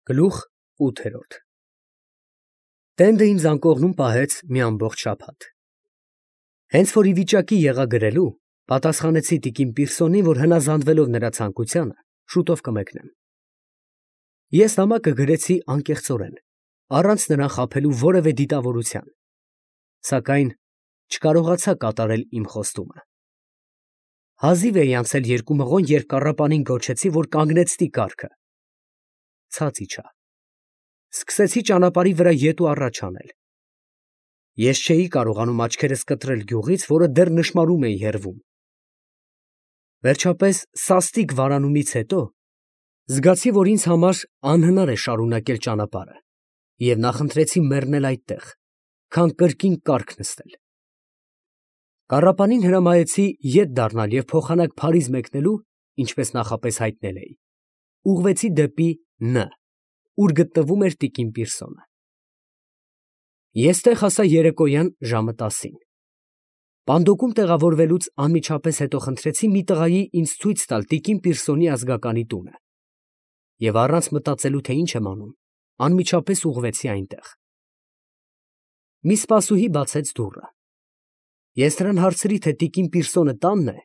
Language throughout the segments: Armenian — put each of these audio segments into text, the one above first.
Գլուխ 8 Տենդը ինձ անկողնում պահեց մի ամբողջ շաբաթ։ Հենց որ ի վիճակի եղա գրելու, պատասխանեցի տիկին Պիրսոնին, որ հնազանդվելով նրա ցանկությանը, շուտով կմեկնեմ։ Ես նամակը գրեցի անկեղծորեն, առանց նրան խաբելու որևէ դիտավորության, սակայն չկարողացա կատարել իմ խոստումը։ Հազիվ էի անցել 2 մղոն, երբ կառապանին գոչեցի, որ կանգնեցնի կառքը։ Ցած իջա։ Սկսեցի ճանապարհի վրա ետ ու առաջ անել։ Ես չէի կարողանում աչքերս կտրել գյուղից, որը դեռ նշմարում էի հեռվում։ Վերջապես սաստիկ վարանումից հետո զգացի, որ ինձ համար անհնար է շարունակել ճանապարհը, և նախընտրեցի մեռնել այդտեղ, քան կրկին կառք նստել։ Կառապանին հրամայեցի ետ դառնալ և փոխանակ Փարիզ մեկնելու, ինչպես նախապես հայտնել էի, ուղղվեցի դեպի Ն, ուր գտնվում էր տիկին Պիրսոնը։ Ես տեղ հասա երեկոյան ժամը 10-ին։ Պանդոկում տեղավորվելուց անմիջապես հետո խնդրեցի մի տղայի ինձ ցույց տալ տիկին Պիրսոնի ազգականի տունը, և առանց մտածելու, թե ինչ եմ անում, անմիջապես ուղղվեցի այնտեղ։ Մի սպասուհի բացեց դուռը։ Ես նրան հարցրի, թե տիկին Պիրսոնը տանն է,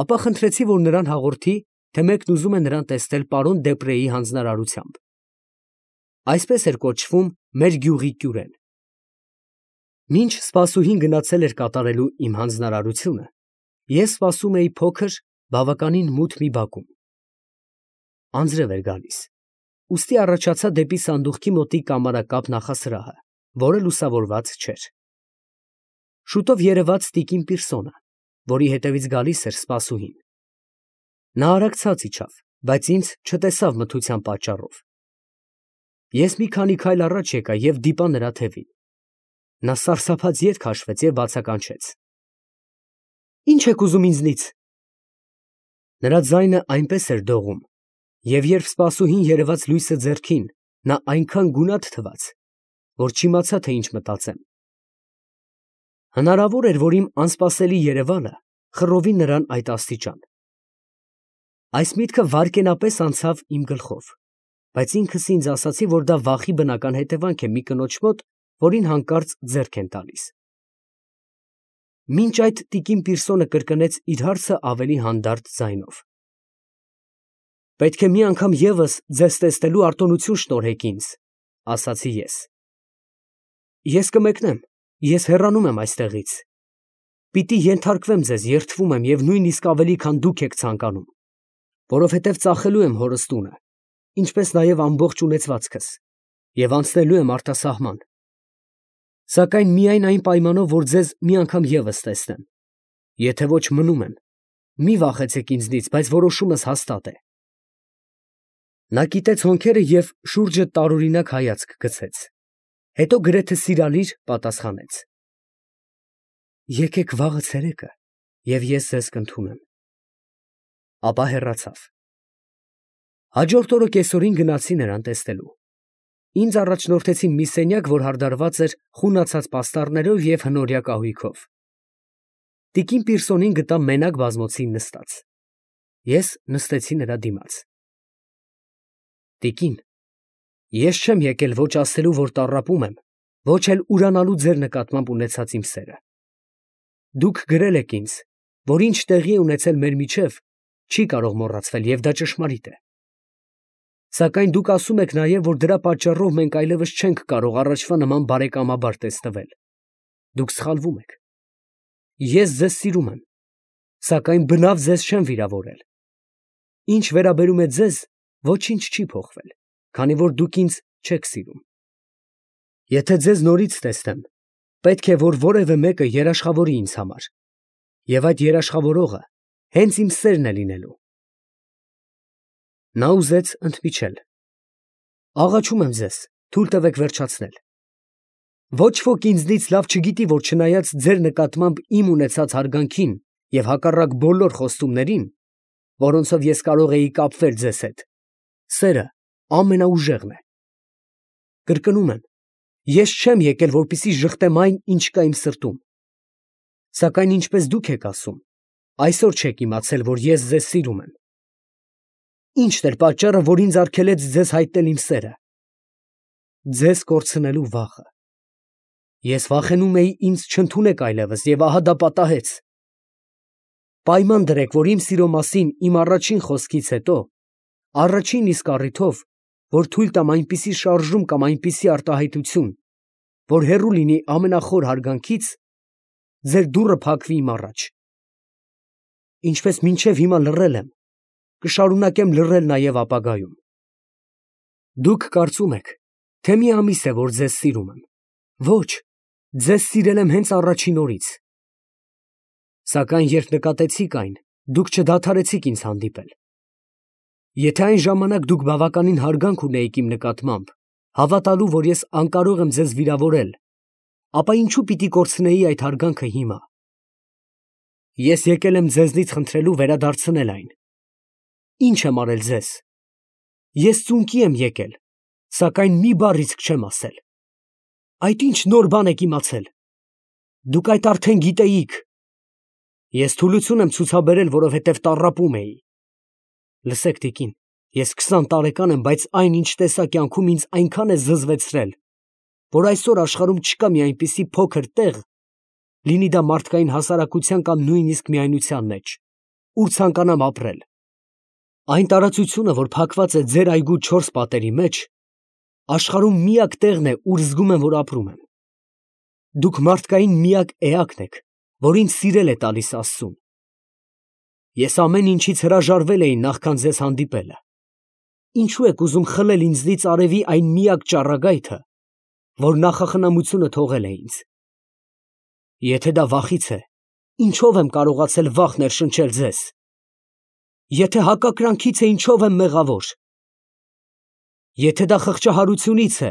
ապա խնդրեցի, որ նրան հաղորդի, թե մեկն ուզում է նրան տեսնել պարոն Դեպրեի հանձնարարությամբ։ Այսպես էր կոչվում մեր գյուղի կյուրեն։ Մինչ սպասուհին գնացել էր կատարելու իմ հանձնարարությունը, ես սպասում էի փոքր, բավականին մութ մի բակում։ Անձրև էր գալիս, ուստի առաջացա դեպի սանդուղքի մոտիկ կամարակապ նախասրահը, որը լուսավորված չէր։ Շուտով երևաց տիկին Պիրսոնը, որի հետևից գալիս էր սպասուհին։ Նա արագ ցած իջավ, բայց ինձ չտեսավ մթության պատճառով։ Ես մի քանի քայլ առաջ եկա և դիպա նրա թևին։ Նա սարսափած ետ քաշվեց և բացականչեց. «Ի՞նչ եք ուզում ինձնից»։ Նրա ձայնը այնպես էր դողում, և երբ սպասուհին երևաց լույսը ձեռքին, նա այնքան գունատ թվաց, որ չիմացա, թե ինչ մտածեմ։ Հնարավոր էր, որ իմ անսպասելի երևանը խռովի նրան այդ աստիճան։ Այս միտքը վայրկենապես անցավ իմ գլխով, բայց ինքս ինձ ասացի, որ դա վախի բնական հետևանք է մի կնոջ մոտ, որին հանկարծ ձեռք են տալիս։ Մինչ այդ տիկին Պիրսոնը կրկնեց իր հարցը ավելի հանդարտ ձայնով. «Պետք է մի անգամ ևս ձեզ տեսնելու արտոնություն շնորհեք ինձ», ասացի ես։ «Ես կմեկնեմ, ես հեռանում եմ այստեղից։ Պիտի ենթարկվեմ ձեզ, երդվում եմ և նույնիսկ ավելի, քան դուք եք ցանկանում, որովհետև ծախելու եմ հորս տունը, ինչպես նաև ամբողջ ունեցվածքս, և անցնելու եմ արտասահման։ Սակայն միայն այն պայմանով, որ ձեզ մի անգամ ևս տեսնեմ, եթե ոչ մնում եմ, մի վախեցեք ինձնից, բայց որոշումս հաստատ է»։ Նա կիտեց հոնքերը և շուրջը տարօրինակ հայացք գցեց, հետո գրեթե սիրալիր պատասխանեց. «Եկեք վաղը ցերեկը, և ես ձեզ կընդունեմ»։ Ապա հեռացավ։ Հաջորդ օրը կեսօրին գնացի նրան տեսնելու։ Ինձ առաջնորդեցին մի սենյակ, որ հարդարված էր խունացած պաստառներով և հնորյա կահույքով։ Տիկին Պիրսոնին գտա մենակ բազմոցին նստած։ Ես նստեցի նրա դիմաց։ «Տիկին, ես չեմ եկել ոչ ասելու, որ տառապում եմ, ոչ էլ ուրանալու ձեր նկատմամբ ունեցած իմ սերը։ Դուք գրել եք ինձ, որ ինչ տեղի է ունեցել մեր միջև, չի կարող մոռացվել, և դա ճշմարիտ է։ Սակայն դուք ասում եք նաև, որ դրա պատճառով մենք այլևս չենք կարող առաջվա նման բարեկամաբար տեսնվել։ Դուք սխալվում եք։ Ես ձեզ սիրում եմ, սակայն բնավ ձեզ չեմ վիրավորել։ Ինչ վերաբերում է ձեզ, ոչինչ չի փոխվել, քանի որ դուք ինձ չեք սիրում։ Եթե ձեզ նորից տեսնեմ, պետք է, որ որևէ մեկը երաշխավորի ինձ համար, և այդ երաշխավորողը հենց իմ սերն է լինելու»։ Նա ուզեց ընդմիջել։ «Աղաչում եմ ձեզ, թույլ տվեք վերջացնել։ Ոչ ոք ինձնից լավ չգիտի, որ չնայած ձեր նկատմամբ իմ ունեցած հարգանքին և հակառակ բոլոր խոստումներին, որոնցով ես կարող էի կապվել ձեզ հետ, սերը ամենաուժեղն է։ Կրկնում եմ, ես չեմ եկել, որպեսզի ժխտեմ այն, ինչ կա իմ սրտում։ Սակայն ինչպես դուք եք ասում, այսօր չեք իմացել, որ ես ձեզ սիրում եմ։ Ի՞նչն էր պատճառը, որ ինձ արգելեց ձեզ հայտնել իմ սերը։ Ձեզ կորցնելու վախը։ Ես վախենում էի ինձ չընդունեք այլևս, եւ ահա դա պատահեց։ Պայման դրեք, որ իմ սիրո մասին իմ առաջին խոսքից հետո, առաջին իսկ առիթով, որ թույլ տամ այնպիսի շարժում կամ այնպիսի արտահայտություն, որ հեռու լինի ամենախոր հարգանքից, ձեր դուռը փակվի իմ առաջ։ Ինչպես մինչև հիմա լռել եմ, կշարունակեմ լռել նաև ապագայում։ Դուք կարծում եք, թե մի ամիս է, որ ձեզ սիրում եմ։ Ոչ, ձեզ սիրել եմ հենց առաջին օրից։ Սակայն երբ նկատեցիք այն, դուք չդադարեցիք ինձ հանդիպել։ Եթե այն ժամանակ դուք բավականին հարգանք ունեիք իմ նկատմամբ, հավատալու, որ ես անկարող եմ ձեզ վիրավորել, ապա ինչու պիտի կորցնեի այդ հարգանքը հիմա։ Ես եկել եմ ձեզնից խնդրելու վերադարձնել այն։ Ինչ եմ արել ձեզ։ Ես ծունկի եմ եկել, սակայն մի բառ իսկ չեմ ասել։ Այդ ինչ նոր բան եք իմացել։ Դուք այդ արդեն գիտեիք։ Ես թուլություն եմ ցուցաբերել, որովհետև տառապում էի։ Լսեք, տիկին, ես 20 տարեկան եմ, բայց այն ինչ տեսա կյանքում ինձ այնքան է զզվեցրել, որ այսօր աշխարհում չկա մի այնպիսի փոքր տեղ, լինի դա մարդկային հասարակության կամ նույնիսկ միայնության մեջ, ուր ցանկանամ ապրել։ Այն տարածությունը, որ փակված է ձեր այգու 4 պատերի մեջ, աշխարհում միակ տեղն է, ուր զգում եմ, որ ապրում եմ։ Դուք մարդկային միակ էակն եք, որ ինձ սիրել է տալիս Աստծուն։ Ես ամեն ինչից հրաժարվել էի նախքան ձեզ հանդիպելը։ Ինչու եք ուզում խլել ինձնից արևի այն միակ ճառագայթը, որ նախախնամությունը թողել է ինձ։ Եթե դա վախից է, ինչով եմ կարողացել վախ ներշնչել ձեզ։ Եթե հակակրանքից է, ինչով եմ մեղավոր։ Եթե դա խղճահարությունից է,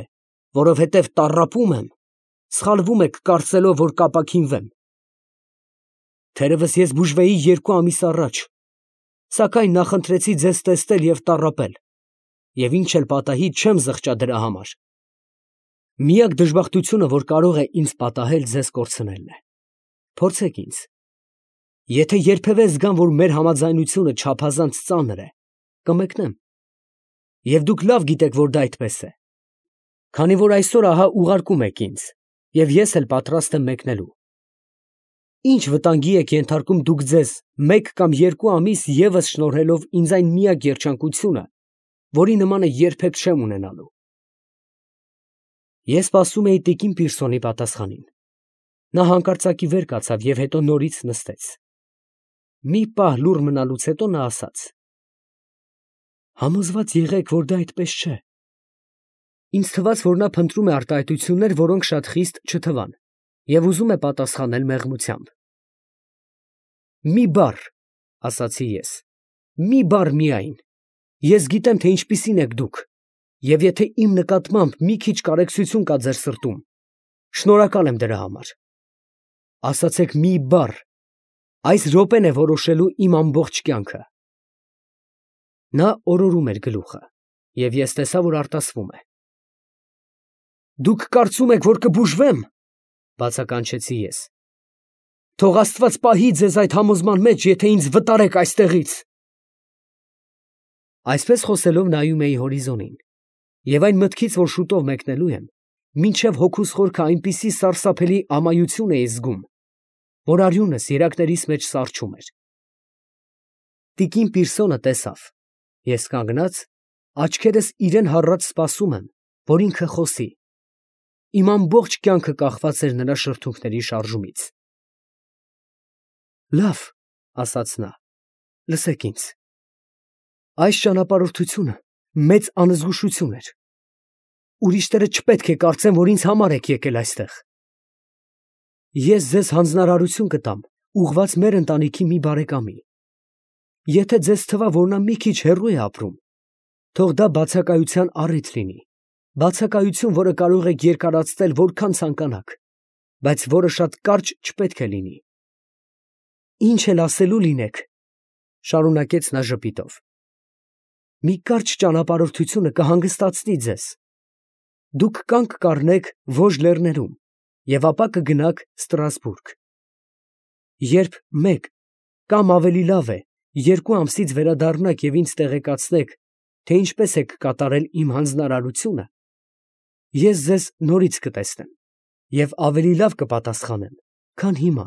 որովհետև տառապում եմ, սխալվում եք կարծելով, որ կապաքինվեմ։ Թերևս ես բուժվեի 2 ամիս առաջ, սակայն նախընտրեցի ձեզ տեսնել և տառապել, և ինչ էլ պատահի, չեմ զղջա դրա համար։ Միակ դժբախտությունը, որ կարող է ինձ պատահել, ձեզ կորցնելն է։ Փորձեք ինձ։ Եթե երբևէ զգամ, որ մեր համաձայնությունը չափազանց ծանր է, կմեկնեմ։ Եվ դուք լավ գիտեք, որ դա այդպես է։ Քանի որ այսօր ահա ուղարկում եք ինձ, և ես էլ պատրաստ եմ մեկնելու։ Ինչ վտանգի եք ենթարկում դուք ձեզ 1 կամ 2 ամիս ևս շնորհելով ինձ այն միակ երջանկությունը, որի նմանը երբեք չեմ ունենալու։ Ես սպասում էի տիկին Պիրսոնի պատասխանին։ Նա հանկարծակի վեր կացավ և հետո նորից նստեց։ Մի պահ լուռ մնալուց հետո նա ասաց. Համոզված եղեք, որ դա այդպես չէ։ Ինձ թվաց, որ նա փնտրում է արտահայտություններ, որոնք շատ խիստ չթվան, և ուզում է պատասխանել մեղմությամբ։ Մի բառ, ասացի ես, մի բառ միայն։ Ես գիտեմ, թե ինչպիսին եք դուք, և եթե իմ նկատմամբ մի քիչ կարեկցություն կա ձեր սրտում, շնորհակալ եմ դրա համար։ Ասացեք մի բառ, այս րոպեն է որոշելու իմ ամբողջ կյանքը։ Նա օրորում էր գլուխը, և ես տեսա, որ արտասվում է։ Դուք կարծում եք, որ կբուժվեմ, բացականչեցի ես։ Թող Աստված պահի ձեզ այդ համոզման մեջ, եթե ինձ վտարեք այստեղից։ Այսպես խոսելով նայում էի հորիզոնին, և այն մտքից, որ շուտով մեկնելու եմ, մինչև հոգուս խորքը այնպիսի սարսափելի ամայություն էի զգում, որ արյունս երակներիս մեջ սառչում էր։ Տիկին Պիրսոնը տեսավ, ես կանգնած, աչքերս իրեն հառած սպասում եմ, որ ինքը խոսի։ Իմ ամբողջ կյանքը կախված էր նրա շրթունքների շարժումից։ Լավ, ասաց նա, լսեք ինձ։ Այս ճանապարհորդությունը մեծ անզգուշություն էր։ Ուրիշները չպետք է կարծեն, որ ինձ համար եք եկել այստեղ։ Ես ձեզ հանձնարարություն կտամ, ուղղված մեր ընտանիքի մի բարեկամի։ Եթե ձեզ թվա, որ նա մի քիչ հեռու է ապրում, թող դա բացակայության առիթ լինի, բացակայություն, որը կարող եք երկարացնել որքան ցանկանաք, բայց որը շատ կարճ չպետք է լինի։ Ինչ էլ ասելու լինեք, շարունակեց նա ժպիտով, մի կարճ ճանապարհորդությունը կհանգստացնի ձեզ։ Դուք կանգ կառնեք Վոժ լեռներում և ապա կգնաք Ստրասբուրգ։ Երբ մեկ կամ ավելի լավ է, 2 ամսից վերադառնաք և ինձ տեղեկացնեք, թե ինչպես եք կատարել իմ հանձնարարությունը, ես ձեզ նորից կտեսնեմ և ավելի լավ կպատասխանեմ, քան հիմա։